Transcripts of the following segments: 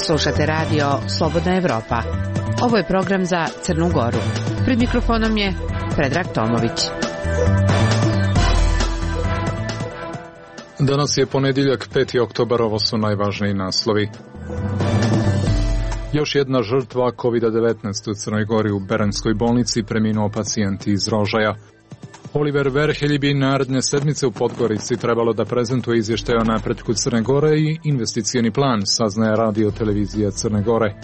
Slušate radio Slobodna Evropa. Ovo je program za Crnu Goru. Pred mikrofonom je Predrag Tomović. Danas je ponedjeljak, 5. oktobar, ovo su najvažniji naslovi. Još jedna žrtva COVID-19 u Crnoj Gori. U Beranskoj bolnici preminuo pacijent iz Rožaja. Oliver Verhelj bi naredne sedmice u Podgorici trebalo da prezentuje izvještaj o napretku Crne Gore i investicioni plan, saznaje radio televizija Crne Gore.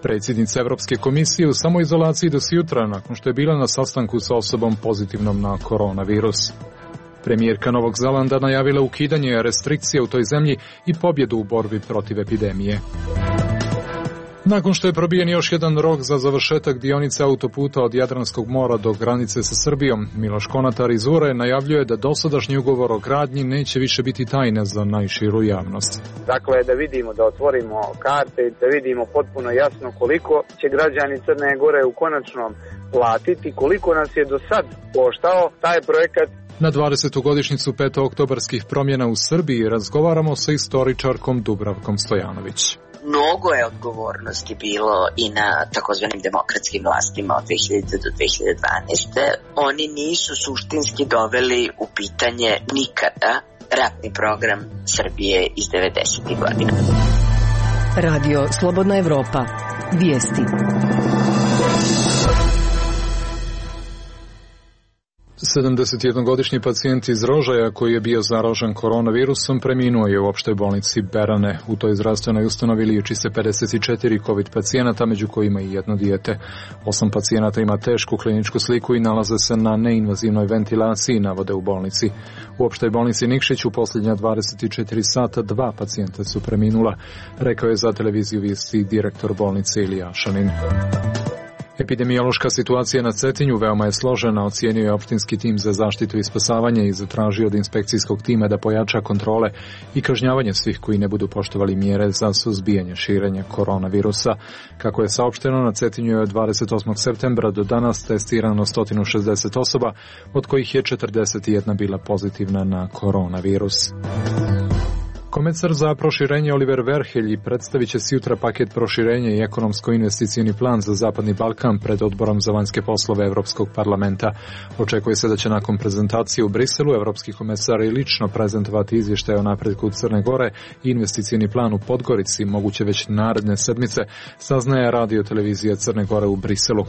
Predsjednica Evropske komisije u samoizolaciji do jutra nakon što je bila na sastanku sa osobom pozitivnom na koronavirus. Premijerka Novog Zelanda najavila ukidanje restrikcija u toj zemlji i pobjedu u borbi protiv epidemije. Nakon što je probijen još jedan rok za završetak dionice autoputa od Jadranskog mora do granice sa Srbijom, Miloš Konatar iz URE najavljuje da dosadašnji ugovor o gradnji neće više biti tajna za najširu javnost. Dakle, da vidimo, da otvorimo karte, da vidimo potpuno jasno koliko će građani Crne Gore u konačnom platiti, koliko nas je do sad koštao taj projekat. Na 20. godišnjicu petooktobarskih promjena u Srbiji razgovaramo sa istoričarkom Dubravkom Stojanović. Mnogo je odgovornosti bilo i na takozvanim demokratskim vlastima od 2000 do 2012. Oni nisu suštinski doveli u pitanje nikada ratni program Srbije iz 90. godina. Radio Slobodna Evropa. Vijesti. 71-godišnji pacijent iz Rožaja koji je bio zaražen koronavirusom preminuo je u opštoj bolnici Berane. U toj zdravstvenoj ustanovi liječi se 54 COVID pacijenata, među kojima i jedno dijete. 8 pacijenata ima tešku kliničku sliku i nalaze se na neinvazivnoj ventilaciji, navode u bolnici. U opštoj bolnici Nikšić u posljednja 24 sata 2 pacijenta su preminula, rekao je za televiziju vijesti direktor bolnice Ilija Šanin. Epidemiološka situacija na Cetinju veoma je složena, ocijenio je opštinski tim za zaštitu i spasavanje i zatražio od inspekcijskog tima da pojača kontrole i kažnjavanje svih koji ne budu poštovali mjere za suzbijanje širenja koronavirusa. Kako je saopšteno, na Cetinju je od 28. septembra do danas testirano 160 osoba, od kojih je 41 bila pozitivna na koronavirus. Komesar za proširenje Oliver Verhelj predstavit će sutra paket proširenja i ekonomsko-investicioni plan za Zapadni Balkan pred Odborom za vanjske poslove Evropskog parlamenta. Očekuje se da će nakon prezentacije u Briselu evropski komesar i lično prezentovati izvještaj o napretku Crne Gore i investicioni plan u Podgorici, moguće već naredne sedmice, saznaje radio televizija Crne Gore u Briselu.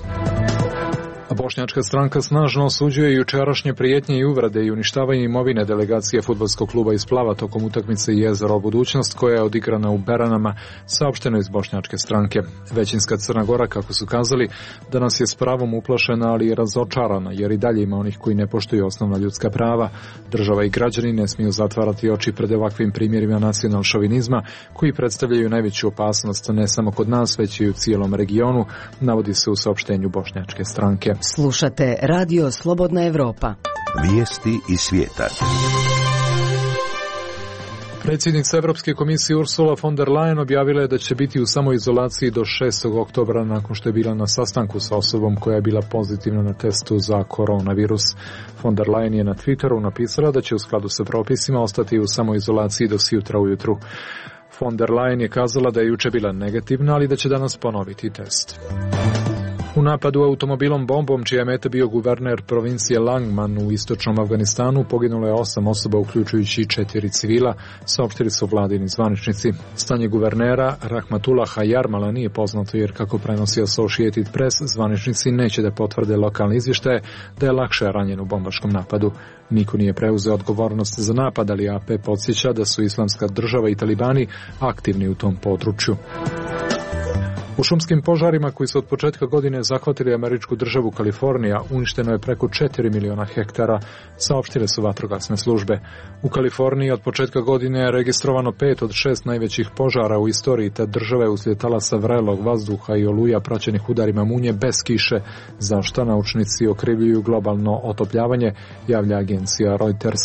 A bošnjačka stranka snažno osuđuje jučerašnje prijetnje i uvrede i uništavanje imovine delegacije fudbalskog kluba iz Plava tokom utakmice Jezero budućnost koja je odigrana u Beranama, saopšteno iz bošnjačke stranke. Većinska Crna Gora, kako su kazali, danas je s pravom uplašena, ali i razočarana, jer i dalje ima onih koji ne poštuju osnovna ljudska prava. Država i građani ne smiju zatvarati oči pred ovakvim primjerima nacional-šovinizma koji predstavljaju najveću opasnost ne samo kod nas, već i u cijelom regionu, navodi se u saopštenju bošnjačke stranke. Slušate Radio Slobodna Evropa. Vijesti iz svijeta. Predsjednica Evropske komisije Ursula von der Leyen objavila je da će biti u samoizolaciji do 6. oktobra nakon što je bila na sastanku sa osobom koja je bila pozitivna na testu za koronavirus. Von der Leyen je na Twitteru napisala da će u skladu sa propisima ostati u samoizolaciji do sutra ujutru. Von der Leyen je kazala da je juče bila negativna, ali da će danas ponoviti test. U napadu automobilom bombom, čija je meta bio guverner provincije Langman u istočnom Afganistanu, poginulo je 8 osoba, uključujući 4 civila, saopštili su vladini zvaničnici. Stanje guvernera Rahmatullaha Jarmala nije poznato, jer kako prenosi Associated Press, zvaničnici neće da potvrde lokalne izvještaje da je lakše ranjen u bombaškom napadu. Niko nije preuzeo odgovornost za napad, ali AP podsjeća da su Islamska država i talibani aktivni u tom području. U šumskim požarima koji su od početka godine zahvatili američku državu Kalifornija uništeno je preko 4 miliona hektara, saopštile su vatrogasne službe. U Kaliforniji od početka godine je registrovano 5 od 6 najvećih požara u istoriji te države uslijed talasa vrelog vazduha i oluja praćenih udarima munje bez kiše, za što naučnici okrivljuju globalno otopljavanje, javlja agencija Reuters.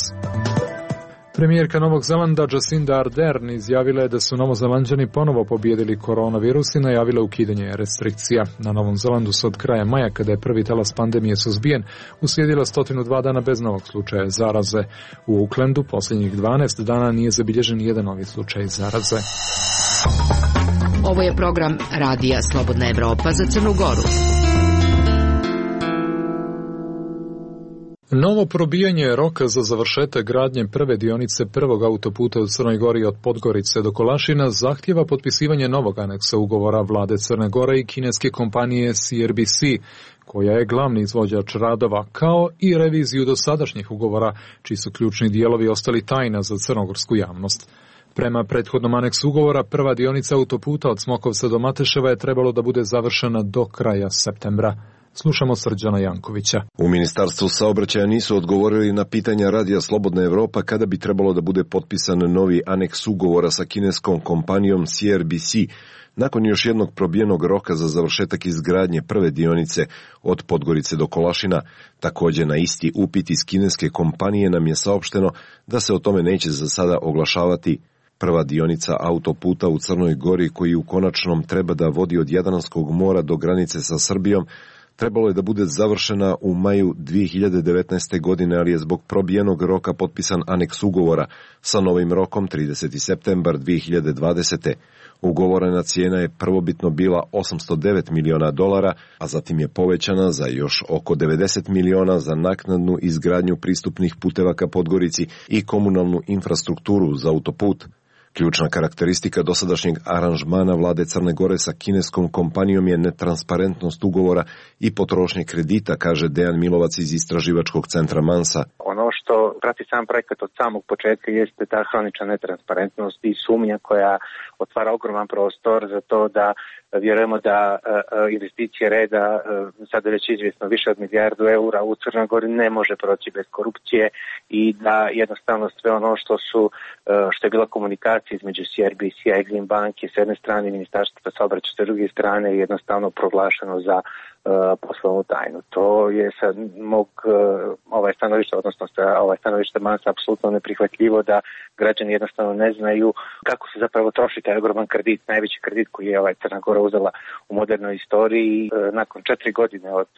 Premijerka Novog Zelanda Jacinda Ardern izjavila je da su Novozelanđani ponovo pobijedili koronavirus i najavila ukidanje restrikcija. Na Novom Zelandu se od kraja maja, kada je prvi talas pandemije suzbijen, uslijedila 102 dana bez novog slučaja zaraze. U Aucklandu posljednjih 12 dana nije zabilježen jedan novi slučaj zaraze. Ovo je program Radija Slobodna Evropa za Crnu Goru. Novo probijanje roka za završetak gradnje prve dionice prvog autoputa u Crnoj Gori od Podgorice do Kolašina zahtjeva potpisivanje novog aneksa ugovora vlade Crne Gore i kineske kompanije CRBC, koja je glavni izvođač radova, kao i reviziju dosadašnjih ugovora, čiji su ključni dijelovi ostali tajna za crnogorsku javnost. Prema prethodnom aneksu ugovora, prva dionica autoputa od Smokovca do Mateševa je trebalo da bude završena do kraja septembra. Slušamo Srđana Jankovića. U Ministarstvu saobraćaja nisu odgovorili na pitanja Radija Slobodna Evropa kada bi trebalo da bude potpisan novi aneks ugovora sa kineskom kompanijom CRBC, nakon još jednog probijenog roka za završetak izgradnje prve dionice od Podgorice do Kolašina. Također na isti upit iz kineske kompanije nam je saopšteno da se o tome neće za sada oglašavati. Prva dionica autoputa u Crnoj Gori, koji u konačnom treba da vodi od Jadranskog mora do granice sa Srbijom, trebalo je da bude završena u maju 2019. godine, ali je zbog probijenog roka potpisan aneks ugovora sa novim rokom 30. septembar 2020. Ugovorena cijena je prvobitno bila $809 miliona, a zatim je povećana za još oko 90 miliona za naknadnu izgradnju pristupnih puteva ka Podgorici i komunalnu infrastrukturu za autoput. Ključna karakteristika dosadašnjeg aranžmana vlade Crne Gore sa kineskom kompanijom je netransparentnost ugovora i potrošnje kredita, kaže Dejan Milovac iz istraživačkog centra Mansa. Ono što prati sam projekat od samog početka jeste ta hronična netransparentnost i sumnja koja otvara ogroman prostor za to da vjerujemo da investicije reda, sada već izvjesno više od milijardu eura u Crnoj Gori, ne može proći bez korupcije i da jednostavno sve ono što je bila komunikacija između CRBC-a i Exim banke s jedne strane, Ministarstva saobraćaja s druge strane je jednostavno proglašeno za poslovnu tajnu. To je sa mog stanovišta, odnosno sa stanovišta Mansa apsolutno neprihvatljivo da građani jednostavno ne znaju kako se zapravo troši taj ogroman kredit, najveći kredit koji je Crna Gora uzela u modernoj istoriji. Nakon 4 godine od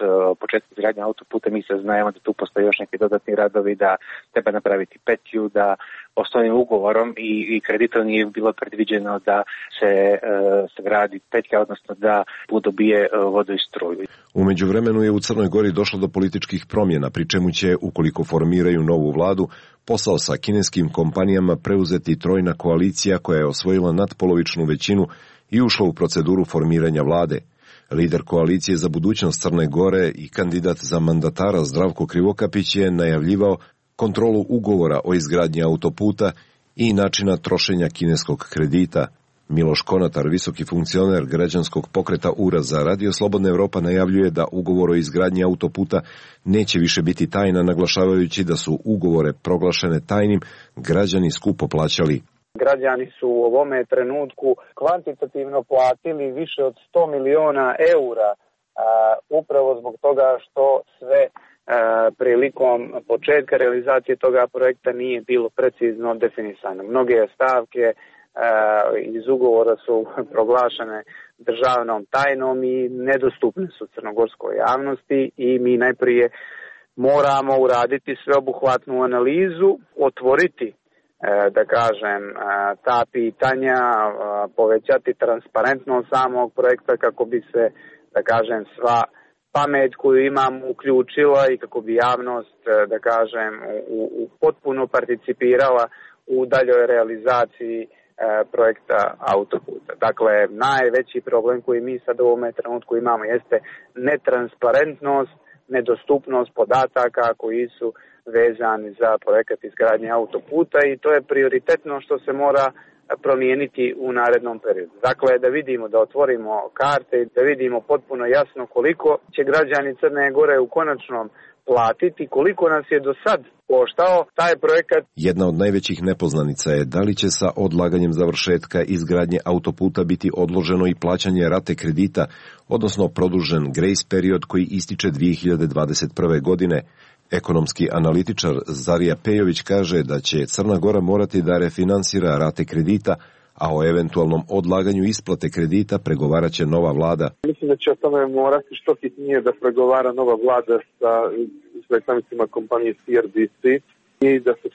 početka izgradnje autoputa mi saznajemo da tu postoje još neki dodatni radovi, da treba napraviti petlju, da osnovnim ugovorom i kreditom nije bilo predviđeno da se sagradi petlja, odnosno da dobije vodu i struju. U međuvremenu je u Crnoj Gori došlo do političkih promjena, pri čemu će, ukoliko formiraju novu vladu, posao sa kineskim kompanijama preuzeti trojna koalicija koja je osvojila nadpolovičnu većinu i ušla u proceduru formiranja vlade. Lider koalicije za budućnost Crne Gore i kandidat za mandatara Zdravko Krivokapić je najavljivao kontrolu ugovora o izgradnji autoputa i načina trošenja kineskog kredita. Miloš Konatar, visoki funkcioner građanskog pokreta URA za Radio Slobodna Evropa, najavljuje da ugovor o izgradnji autoputa neće više biti tajna, naglašavajući da su ugovore proglašene tajnim građani skupo plaćali. Građani su u ovome trenutku kvantitativno platili više od 100 miliona eura, upravo zbog toga što sve prilikom početka realizacije toga projekta nije bilo precizno definisano. Mnoge stavke iz ugovora su proglašene državnom tajnom i nedostupne su crnogorskoj javnosti i mi najprije moramo uraditi sveobuhvatnu analizu, otvoriti ta pitanja, povećati transparentnost samog projekta kako bi se sva pamet koju imamo uključila i kako bi javnost u potpuno participirala u daljoj realizaciji projekta autoputa. Dakle, najveći problem koji mi sad u ovome trenutku imamo jeste netransparentnost, nedostupnost podataka koji su vezani za projekat izgradnje autoputa i to je prioritetno što se mora promijeniti u narednom periodu. Dakle, da vidimo, da otvorimo karte, da vidimo potpuno jasno koliko će građani Crne Gore u konačnom platiti, koliko nas je do sad koštao taj projekat. Jedna od najvećih nepoznanica je da li će sa odlaganjem završetka izgradnje autoputa biti odloženo i plaćanje rate kredita, odnosno produžen grace period koji ističe 2021. godine. Ekonomski analitičar Zarija Pejović kaže da će Crna Gora morati da refinansira rate kredita, a o eventualnom odlaganju isplate kredita pregovarat će nova vlada. Mislim da će o tome morati što hitnije da pregovara nova vlada sa predstavnicima kompanije CRBC i da se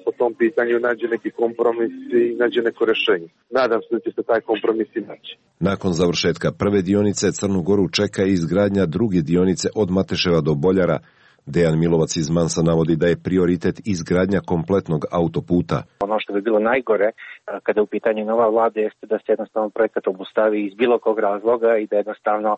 po tom pitanju nađe neki kompromis i nađe neko rešenje. Nadam se da će se taj kompromis i naći. Nakon završetka prve dionice Crnu Goru čeka i izgradnja druge dionice od Mateševa do Boljara. Dejan Milovac iz Mansa navodi da je prioritet izgradnja kompletnog autoputa. Ono što bi bilo najgore kada je u pitanju nova vlada jeste da se jednostavno projekat obustavi iz bilo kog razloga i da jednostavno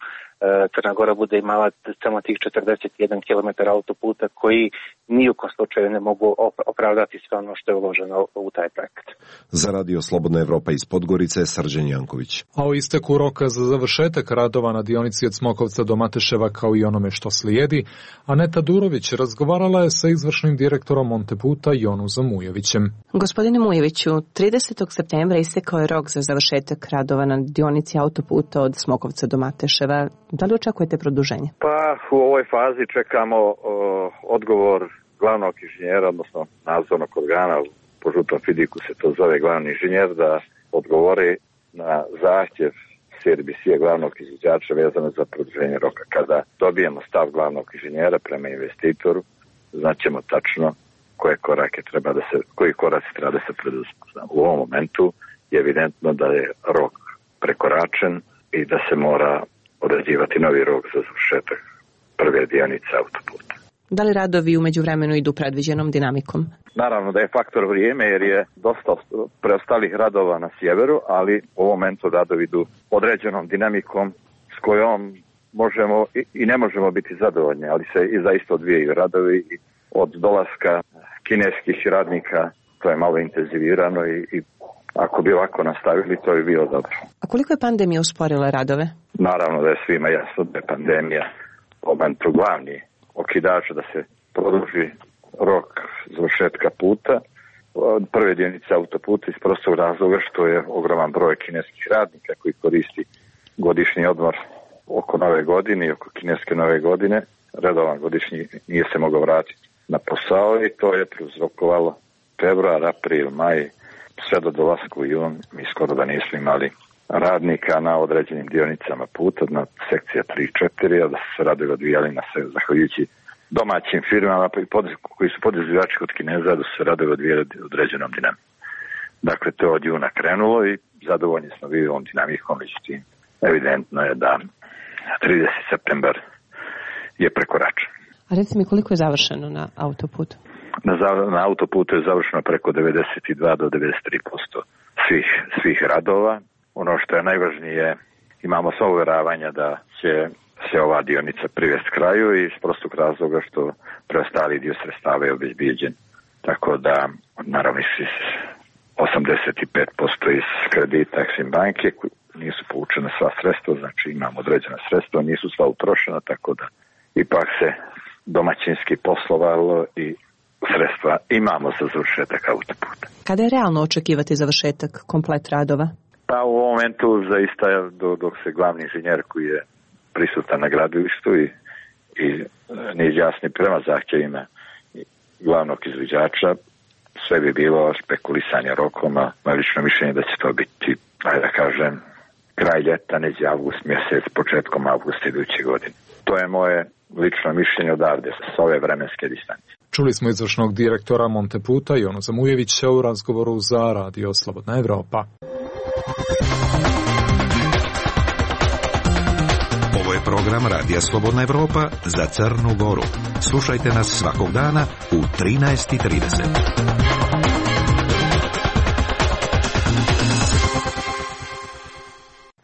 Crna Gora bude imala samo tih 41 km autoputa koji ni u kom slučaju ne mogu opravdati sve ono što je uloženo u taj projekt. Za Radio Slobodna Evropa iz Podgorice, Srđan Janković. A o isteku roka za završetak radova na dionici od Smokovca do Mateševa kao i onome što slijedi, Aneta Durović razgovarala je sa izvršnim direktorom Monteputa Jonuzom Mujevićem. Gospodine Mujeviću, 30. septembra istekao je rok za završetak radova na dionici autoputa od Smokovca do Mateševa. Da li očekujete produženje? Pa u ovoj fazi čekamo odgovor glavnog inženjera, odnosno nadzornog organa, po žutom fidiku se to zove glavni inženjer, da odgovori na zahtjev CRBC-a, glavnog izvođača, vezano za produženje roka. Kada dobijemo stav glavnog inženjera prema investitoru, znaćemo tačno koji koraci treba da se preduzmu. U ovom momentu je evidentno da je rok prekoračen i da se mora određivati novi rok za završetak prve dionice autoputa. Da li radovi u međuvremenu idu predviđenom dinamikom? Naravno da je faktor vrijeme jer je dosta preostalih radova na sjeveru, ali u ovom momentu radovi idu određenom dinamikom s kojom možemo i ne možemo biti zadovoljni, ali se i zaista odvijaju radovi i od dolaska kineskih radnika to je malo intenzivirano i ako bi ovako nastavili to bi bilo dobro. A koliko je pandemija usporila radove? Naravno da je svima jasno da je pandemija u momentu glavni okidač da se produži rok završetka puta prve dionice autoputa iz prostog razloga što je ogroman broj kineskih radnika koji koristi godišnji odmor oko nove godine i oko kineske nove godine. Redovan godišnji nije se mogao vratiti na posao i to je prouzrokovalo februar, april, maj, sve do dolaska u jun. Mi skoro da nismo imali radnika na određenim dionicama puta, na sekcija 3 i 4, a da su se radovi odvijali na sve, zahvaljujući domaćim firmama koji su podizvođači kod Kineza, da su se radovi odvijali određenom dinamikom. Dakle, to je od juna krenulo i zadovoljni smo bili ovom dinamikom, međutim, evidentno je da 30. septembar je prekoračen. A recite mi koliko je završeno na autoputu? Na autoputu je završeno preko 92 do 93% svih radova. Ono što je najvažnije, imamo sva uvjeravanja da će se ova dionica privesti kraju i iz prostog razloga što preostali dio sredstava je obezbijeđen. Tako da, naravno, 85% iz kredita Exim banke nisu povučena sva sredstva, znači imamo određena sredstva, nisu sva utrošena, tako da ipak se domaćinski poslovalo i sredstva imamo za završetak autoputa. Kada je realno očekivati završetak komplet radova? Pa u ovom momentu zaista dok se glavni inženjer koji je prisutan na gradilištu i ne izjasni prema zahtjevima glavnog izvođača, sve bi bilo spekulisanje rokom, a moje lično mišljenje da će to biti, da kažem, kraj ljeta, neđe avgust mjesec, početkom avgusta iduće godine. To je moje lično mišljenje odavde s ove vremenske distance. Čuli smo izvršnog direktora Monteputa Jonuza Mujevića u razgovoru za Radio Slobodna Evropa. Ovo je program Radija Slobodna Evropa za Crnu Goru. Slušajte nas svakog dana u 13:30.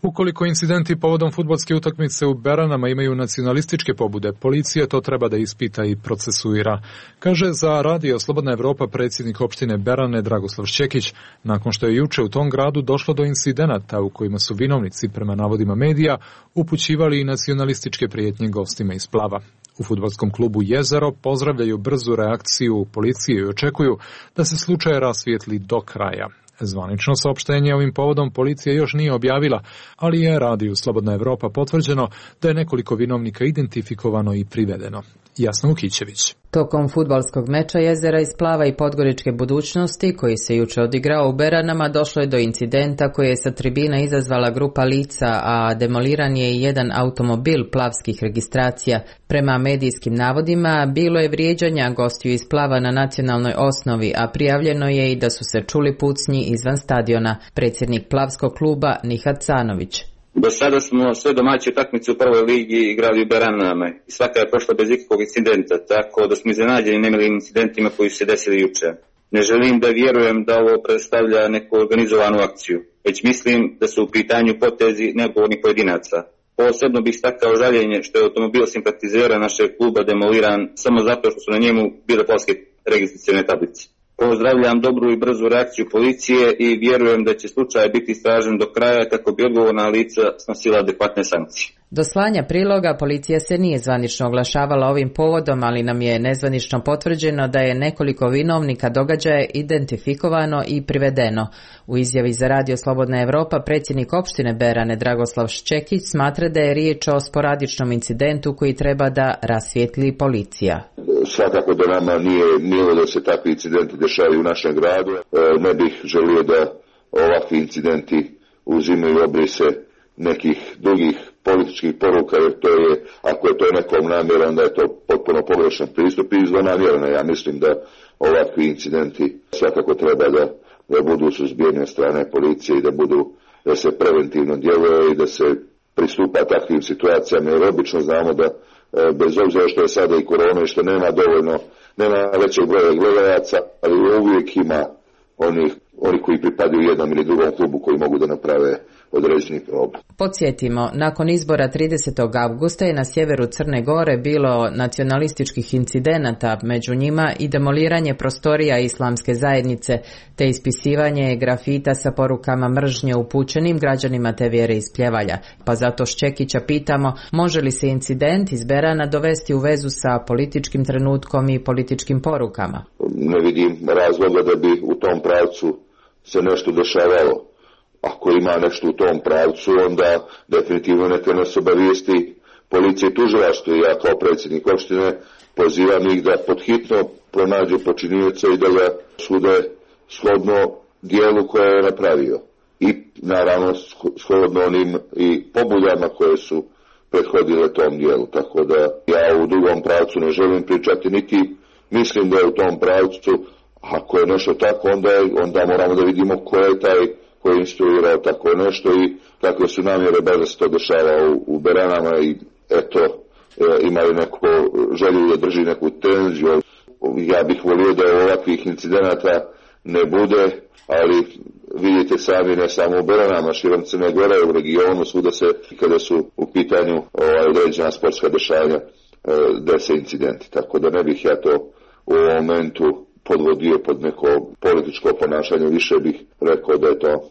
Ukoliko incidenti povodom fudbalske utakmice u Beranama imaju nacionalističke pobude, policija to treba da ispita i procesuira, kaže za Radio Slobodna Evropa predsjednik opštine Berane Dragoslav Šćekić, nakon što je juče u tom gradu došlo do incidenata u kojima su vinovnici, prema navodima medija, upućivali i nacionalističke prijetnje gostima iz Plava. U fudbalskom klubu Jezero pozdravljaju brzu reakciju policije i očekuju da se slučaj rasvijetli do kraja. Zvanično saopštenje ovim povodom policija još nije objavila, ali je radiju Slobodna Evropa potvrđeno da je nekoliko vinovnika identifikovano i privedeno. Jasna Ukićević. Tokom fudbalskog meča Jezera iz Plava i Podgoričke Budućnosti, koji se juče odigrao u Beranama, došlo je do incidenta koji je sa tribina izazvala grupa lica, a demoliran je i jedan automobil plavskih registracija. Prema medijskim navodima, bilo je vrijeđanja gostiju iz Plava na nacionalnoj osnovi, a prijavljeno je i da su se čuli pucnji izvan stadiona. Predsjednik plavskog kluba Nihat Canović. Do sada smo sve domaće utakmice u prvoj ligi igrali u Beranama i svaka je prošla bez ikakvog incidenta, tako da smo iznenađeni nemilim incidentima koji su se desili juče. Ne želim da vjerujem da ovo predstavlja neku organizovanu akciju, već mislim da su u pitanju potezi neodgovornih pojedinaca. Posebno bih stakao žaljenje što je automobil simpatizera našeg kluba demoliran samo zato što su na njemu bile plavske registracione tablice. Pozdravljam dobru i brzu reakciju policije i vjerujem da će slučaj biti istražen do kraja kako bi odgovorna lica snosila adekvatne sankcije. Do slanja priloga policija se nije zvanično oglašavala ovim povodom, ali nam je nezvanično potvrđeno da je nekoliko vinovnika događaja identifikovano i privedeno. U izjavi za Radio Slobodna Evropa predsjednik opštine Berane Dragoslav Ščekić smatra da je riječ o sporadičnom incidentu koji treba da rasvijetli policija. Svakako da nama nije milo da se takvi incidenti dešavaju u našem gradu. Ne bih želio da ovakvi incidenti uzimaju obrise nekih drugih političkih poruka, jer to je, ako je to nekom namjera, onda je to potpuno pogrešan pristup i zlonamjerno. Ja mislim da ovakvi incidenti svakako treba da budu suzbijeni od strane policije i da se preventivno djeluje i da se pristupa takvim situacijama, jer obično znamo da bez obzira što je sada i korona i što nema većeg broja gledalaca, ali uvijek ima oni koji pripadaju jednom ili drugom klubu koji mogu da naprave određeni problem. Podsjetimo, nakon izbora 30. avgusta je na sjeveru Crne Gore bilo nacionalističkih incidenata, među njima i demoliranje prostorija islamske zajednice, te ispisivanje grafita sa porukama mržnje upućenim građanima te vjere iz Pljevalja. Pa zato Ščekića pitamo, može li se incident iz Berana dovesti u vezu sa političkim trenutkom i političkim porukama? Ne vidim razloga da bi u tom pravcu se nešto dešavalo. Ako ima nešto u tom pravcu, onda definitivno neka nas obavijesti policija i tužilaštvo. Ja kao predsjednik opštine pozivam ih da podhitno pronađu počinioca i da ga sude shodno dijelu koje je napravio. I naravno shodno onim i pobudama koje su prethodile tom dijelu. Tako da ja u drugom pravcu ne želim pričati, niti mislim da je u tom pravcu. Ako je nešto tako, onda moramo da vidimo ko je taj koji je instruirao tako nešto i kakve su namjere baš da se to dešava u Beranama i eto, imaju neko želju da drži neku tenziju. Ja bih volio da ovakvih incidenata ne bude, ali vidite sami, ne samo u Beranama, širom Crne Gore, u regionu, svuda se, kada su u pitanju određena sportska dešavanja, dese incidenti. Tako da ne bih ja to u ovom momentu podvodio pod neko političko ponašanje, više bih rekao da je to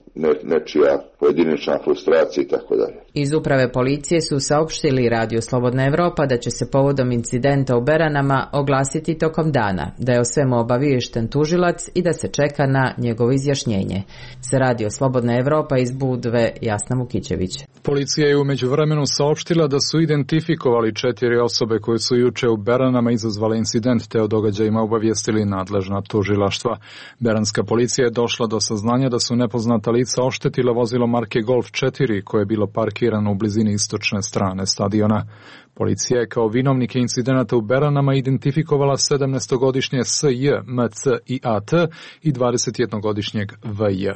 nečija pojedinačna frustracija i tako dalje. Iz uprave policije su saopštili Radio Slobodna Evropa da će se povodom incidenta u Beranama oglasiti tokom dana, da je o svemu obaviješten tužilac i da se čeka na njegovo izjašnjenje. Za Radio Slobodna Evropa iz Budve, Jasna Vukićević. Policija je u međuvremenu saopštila da su identifikovali 4 osobe koje su juče u Beranama izazvale incident, te o događajima obavijestili nadležna tužilaštva. Beranska policija je došla do saznanja da su nepoznata lica oštetila vozilo marke Golf 4 koje je bilo parkirano u blizini istočne strane stadiona. Policija je kao vinovnike incidenata u Beranama identifikovala 17-godišnje S.J., M.C. i A.T. i 21-godišnjeg V.J.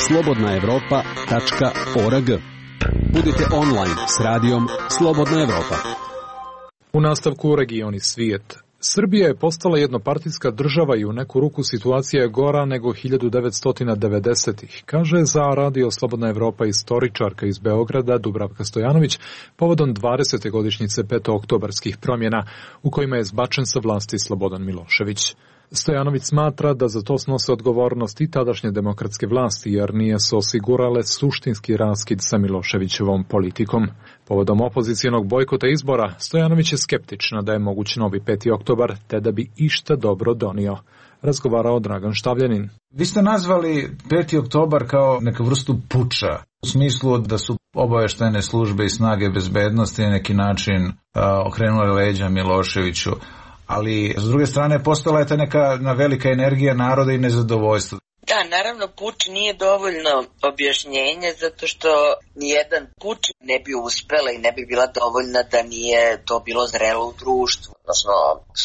slobodnaevropa.org. Budite online s radijom Slobodna Evropa. U nastavku regioni svijet. Srbija je postala jednopartijska država i u neku ruku situacija je gora nego 1990-ih, kaže za Radio Slobodna Evropa istoričarka iz Beograda Dubravka Stojanović povodom 20. godišnjice petooktobarskih promjena u kojima je zbačen sa vlasti Slobodan Milošević. Stojanović smatra da za to snose odgovornost i tadašnje demokratske vlasti, jer nije se osigurale suštinski raskid sa Miloševićevom politikom. Povodom opozicijonog bojkota izbora, Stojanović je skeptična da je moguć novi 5. oktobar, te da bi išta dobro donio. Razgovarao Dragan Štavljanin. Vi ste nazvali 5. oktobar kao neku vrstu puča, u smislu da su obaveštajne službe i snage bezbednosti na neki način okrenule leđa Miloševiću. Ali, s druge strane, postala je ta neka velika energija naroda i nezadovoljstva. Da, naravno, puč nije dovoljno objašnjenje, zato što nijedan puč ne bi uspela i ne bi bila dovoljna da nije to bilo zrelo u društvu. Odnosno,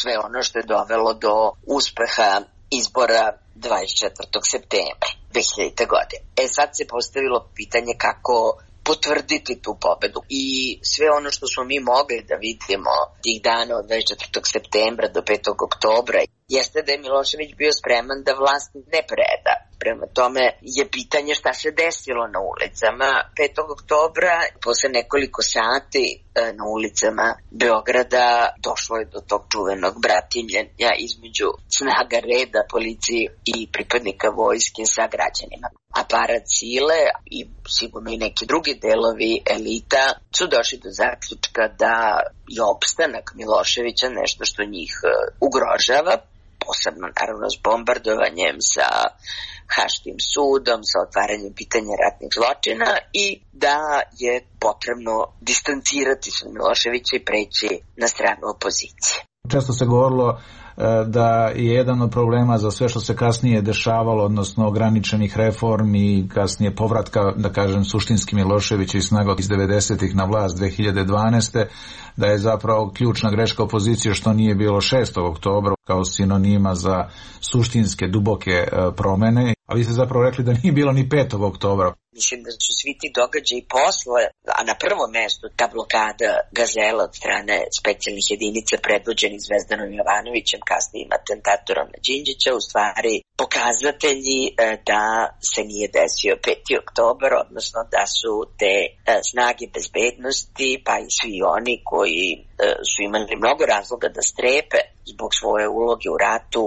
sve ono što je dovelo do uspeha izbora 24. septembra 2000. godine. Sad se postavilo pitanje kako potvrditi tu pobedu. I sve ono što smo mi mogli da vidimo tih dana od 24. septembra do 5. oktobra jeste da je Milošević bio spreman da vlast ne preda. Prema tome je pitanje šta se desilo na ulicama 5. oktobra. Posle nekoliko sati na ulicama Beograda došlo je do tog čuvenog bratimljenja između snaga reda, policije i pripadnika vojske sa građanima. Aparat sile i sigurno i neki drugi delovi elita su došli do zaključka da je opstanak Miloševića nešto što njih ugrožava, posebno naravno s bombardovanjem, sa Haškim sudom, sa otvaranjem pitanja ratnih zločina i da je potrebno distancirati se od Miloševića i preći na stranu opozicije. Često se govorilo da je jedan od problema za sve što se kasnije dešavalo, odnosno ograničenih reformi i kasnije povratka, da kažem, suštinski Miloševića i snaga iz 90-ih na vlast 2012. da je zapravo ključna greška opozicije što nije bilo 6. oktobra kao sinonima za suštinske, duboke promene, a vi ste zapravo rekli da nije bilo ni 5. oktobra. Mislim da su svi ti događaji posle, a na prvom mestu ta blokada Gazela od strane specijalnih jedinica predvođenih Zvezdanom Jovanovićem, kasnijim atentatorom na Đinđića, u stvari pokazatelji da se nije desio 5. oktobar, odnosno da su te snage bezbednosti, pa i svi oni koji su imali mnogo razloga da strepe zbog svoje uloge u ratu,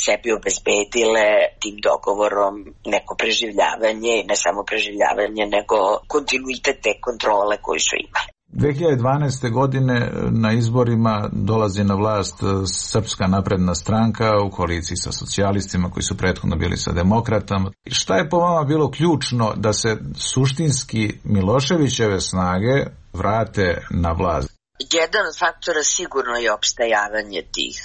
sebi obezbedile tim dogovorom neko preživljavanje, ne samo preživljavanje, nego kontinuitet te kontrole koju su imali. 2012. godine na izborima dolazi na vlast Srpska napredna stranka u koaliciji sa socijalistima koji su prethodno bili sa demokratama. Šta je po vama bilo ključno da se suštinski Miloševićeve snage vrate na vlast? Jedan od faktora sigurno je opstajavanje tih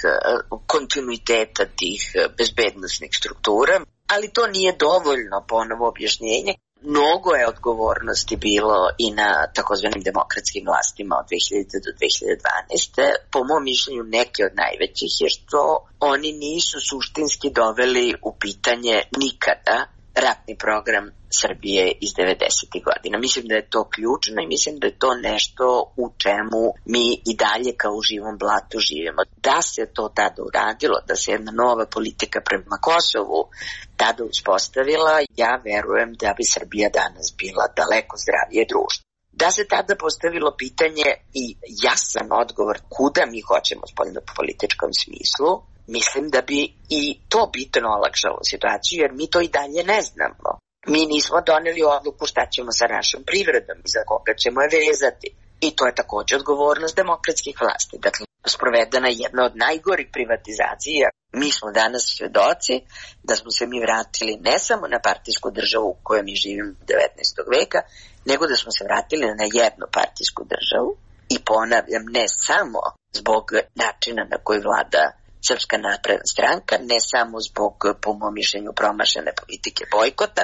kontinuiteta, tih bezbednosnih struktura, ali to nije dovoljno ponovo objašnjenje. Mnogo je odgovornosti bilo i na takozvanim demokratskim vlastima od 2000 do 2012. Po mom mišljenju neke od najvećih je što oni nisu suštinski doveli u pitanje nikada ratni program Srbije iz 90. godina. Mislim da je to ključno i mislim da je to nešto u čemu mi i dalje kao u živom blatu živimo. Da se to tada uradilo, da se jedna nova politika prema Kosovu tada uspostavila, ja verujem da bi Srbija danas bila daleko zdravije društvo. Da se tada postavilo pitanje i jasan odgovor kuda mi hoćemo u spoljnopolitičkom smislu, mislim da bi i to bitno olakšalo situaciju, jer mi to i dalje ne znamo. Mi nismo doneli odluku šta ćemo sa našom privredom i za koga ćemo je vezati. I to je također odgovornost demokratskih vlasti. Dakle, sprovedena je jedna od najgorih privatizacija. Mi smo danas svedoci da smo se mi vratili ne samo na partijsku državu u kojoj mi živimo 19. veka, nego da smo se vratili na jednopartijsku državu. I ponavljam, ne samo zbog načina na koji vlada Srpska napredna stranka, ne samo zbog, po mom mišljenju, promašene politike bojkota,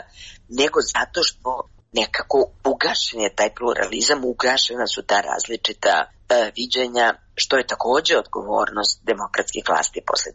nego zato što nekako ugašen je taj pluralizam, ugašena su ta različita viđenja, što je također odgovornost demokratskih vlasti posle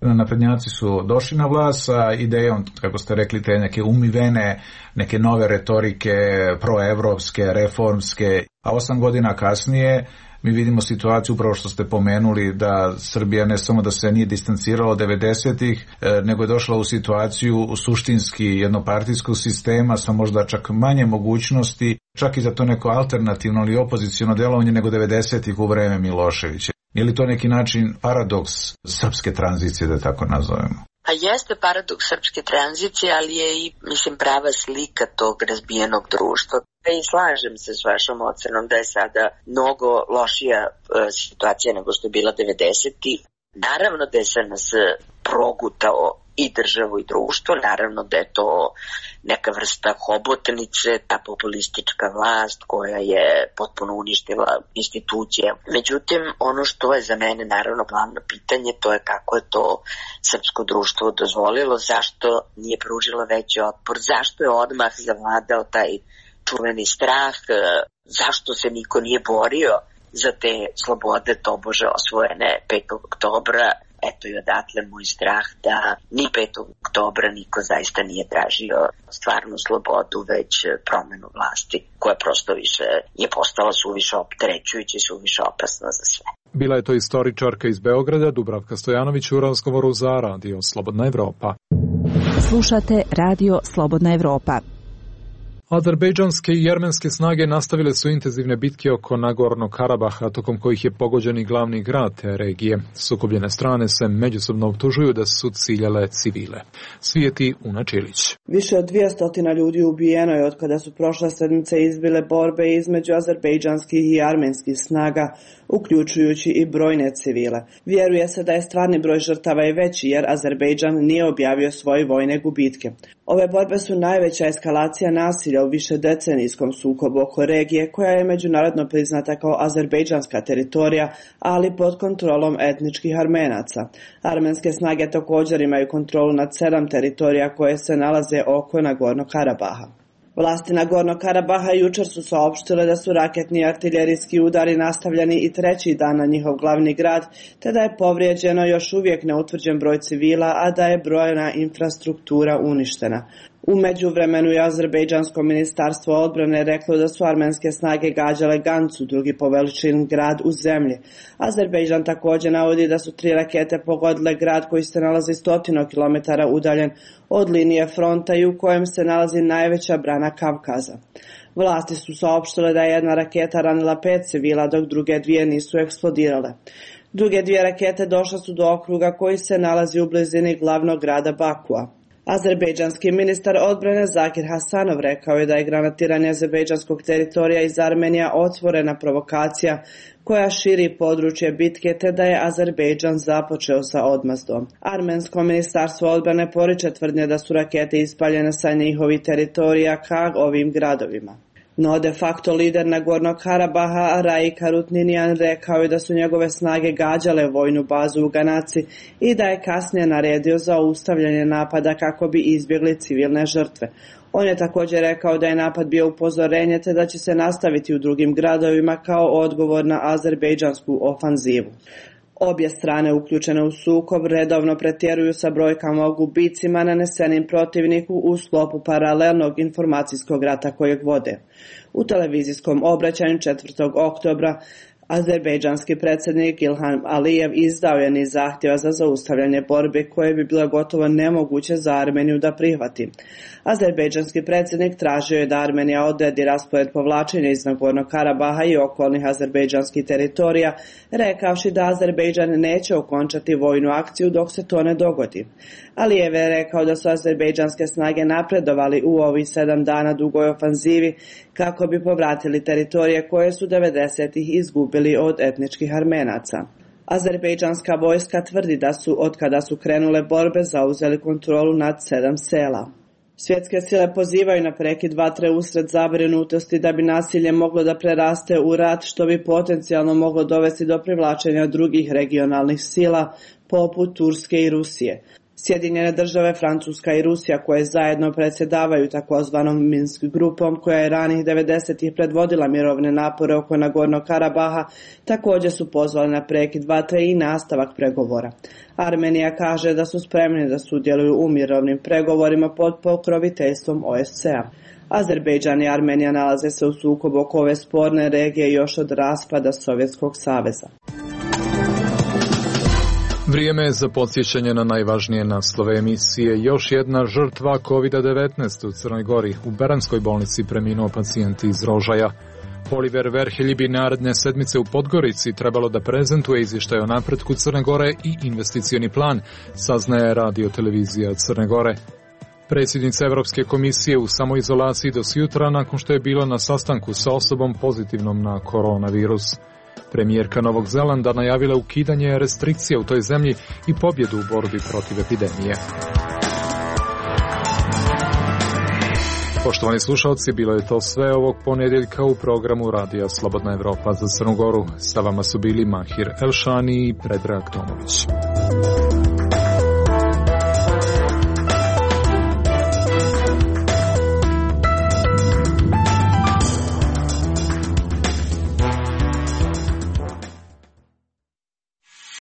2000. Naprednjaci su došli na vlast sa idejom, kako ste rekli, te neke umivene, neke nove retorike, proevropske, reformske, a 8 godina kasnije mi vidimo situaciju, upravo što ste pomenuli, da Srbija ne samo da se nije distancirala od 90-ih, nego je došla u situaciju suštinski jednopartijskog sistema sa možda čak manje mogućnosti, čak i za to neko alternativno ili opoziciono delovanje nego 90-ih u vreme Miloševića. Je li to neki način paradoks srpske tranzicije, da tako nazovemo? A jeste paradoks srpske tranzicije, ali je i, prava slika tog razbijenog društva. I slažem se s vašom ocenom da je sada mnogo lošija situacija nego što je bila 90-ih. Naravno da je SNS progutao i državu i društvo, naravno da je to neka vrsta hobotnice, ta populistička vlast koja je potpuno uništila institucije. Međutim, ono što je za mene naravno glavno pitanje, to je kako je to srpsko društvo dozvolilo, zašto nije pružilo veći otpor, zašto je odmah zavladao taj čuveni strah, zašto se niko nije borio za te slobode tobože osvojene 5. oktobra. Eto i odatle moj strah da ni 5. oktobra niko zaista nije tražio stvarnu slobodu, već promenu vlasti, koja prosto više je postala suviše opterećujuća i suviše opasna za sve. Bila je to istoričarka iz Beograda, Dubravka Stojanović, u razgovoru za Radio Slobodna Evropa. Slušate Radio Slobodna Evropa. Azerbejdžanske i jermenske snage nastavile su intenzivne bitke oko Nagornog Karabaha, tokom kojih je pogođen i glavni grad te regije. Sukobljene strane se međusobno optužuju da su ciljale civile. Svijeti Una Čilić. Više od 200 ljudi ubijeno je od kada su prošle sedmice izbile borbe između azerbejdžanskih i armenskih snaga, uključujući i brojne civile. Vjeruje se da je stvarni broj žrtava i veći jer Azerbejdžan nije objavio svoje vojne gubitke. Ove borbe su najveća eskalacija nasilja u višedecenijskom sukobu oko regije koja je međunarodno priznata kao azerbejdžanska teritorija, ali pod kontrolom etničkih Armenaca. Armenske snage također imaju kontrolu nad 7 teritorija koje se nalaze oko Nagornog Karabaha. Vlasti Nagornog Karabaha jučer su saopštile da su raketni i artiljerijski udari nastavljeni i treći dan na njihov glavni grad, te da je povrijeđeno još uvijek neutvrđen broj civila, a da je brojna infrastruktura uništena. U međuvremenu je Azerbejdžansko ministarstvo odbrane reklo da su armenske snage gađale Gancu, drugi po veličini grad u zemlji. Azerbejdžan također navodi da su 3 rakete pogodile grad koji se nalazi 100 km udaljen od linije fronta i u kojem se nalazi najveća brana Kavkaza. Vlasti su saopštile da je jedna raketa ranila 5 civila, dok druge 2 nisu eksplodirale. Druge 2 rakete došle su do okruga koji se nalazi u blizini glavnog grada Bakua. Azerbejdžanski ministar odbrane Zakir Hasanov rekao je da je granatiranje azerbejdžanskog teritorija iz Armenija otvorena provokacija koja širi područje bitke, te da je Azerbejdžan započeo sa odmazdom. Armensko ministarstvo odbrane poriče tvrdnje da su rakete ispaljene sa njihovih teritorija ka ovim gradovima. No de facto lider Nagornog Karabaha Raik Harutninian rekao je da su njegove snage gađale vojnu bazu u Ganaci i da je kasnije naredio za ustavljanje napada kako bi izbjegli civilne žrtve. On je također rekao da je napad bio upozorenje te da će se nastaviti u drugim gradovima kao odgovor na azerbejdžansku ofanzivu. Obje strane uključene u sukob redovno pretjeruju sa brojkama o gubicima nanesenim protivniku u sklopu paralelnog informacijskog rata kojeg vode. U televizijskom obraćanju 4. oktobra azerbejdžanski predsjednik Ilham Alijev izdao je niz zahtjeva za zaustavljanje borbe koje bi bilo gotovo nemoguće za Armeniju da prihvati. Azerbejdžanski predsjednik tražio je da Armenija odredi raspored povlačenja iz Nagornog Karabaha i okolnih azerbejdžanskih teritorija, rekavši da Azerbejdžan neće okončati vojnu akciju dok se to ne dogodi. Alijev je rekao da su azerbejdžanske snage napredovali u ovih 7 dana dugoj ofanzivi kako bi povratili teritorije koje su 90-ih izgubili od etničkih Armenaca. Azerbejdžanska vojska tvrdi da su, od kada su krenule borbe, zauzeli kontrolu nad 7 sela. Svjetske sile pozivaju na prekid vatre usred zabrinutosti da bi nasilje moglo da preraste u rat, što bi potencijalno moglo dovesti do privlačenja drugih regionalnih sila poput Turske i Rusije. Sjedinjene države, Francuska i Rusija, koje zajedno predsjedavaju takozvanom Minsk grupom, koja je ranih 90-ih predvodila mirovne napore oko Nagornog Karabaha, također su pozvali na prekid vatre i nastavak pregovora. Armenija kaže da su spremni da sudjeluju u mirovnim pregovorima pod pokroviteljstvom OSCE-a. Azerbejdžan i Armenija nalaze se u sukobu oko ove sporne regije još od raspada Sovjetskog saveza. Vrijeme je za podsjećanje na najvažnije naslove emisije. Još jedna žrtva COVID-19 u Crnoj Gori. U Beranskoj bolnici preminuo pacijent iz Rožaja. Oliver Verhelji bi naredne sedmice u Podgorici trebalo da prezentuje izvještaj o napretku Crne Gore i investicioni plan, saznaje radio televizija Crne Gore. Predsjednica Evropske komisije u samoizolaciji do jutra nakon što je bila na sastanku sa osobom pozitivnom na koronavirus. Premijerka Novog Zelanda najavila ukidanje restrikcija u toj zemlji i pobjedu u borbi protiv epidemije. Poštovani slušalci, bilo je to sve ovog ponedjeljka u programu Radija Slobodna Evropa za Crnu Goru. Sa vama su bili Mahir Elšani i Predrag Tomović.